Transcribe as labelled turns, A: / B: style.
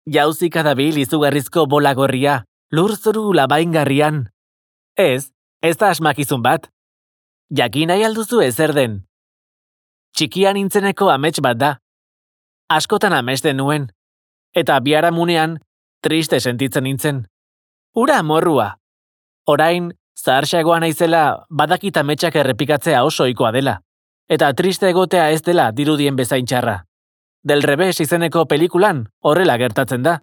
A: Jauzika dabil izugarrizko bola gorria, lurzoru labaingarrian. Ez da asmakizun bat. Jakin nahi alduzu ezer den. Txikia nintzeneko amets bat da. Askotan amesten nuen. Eta biharamunean triste sentitzen nintzen. Ura amorrua. Orain, zaharxagoa naizela badakit ametsak errepikatzea oso ohikoa dela. Eta triste egotea ez dela dirudien bezain txarra. Del Revés izeneko pelikulan horrela gertatzen da.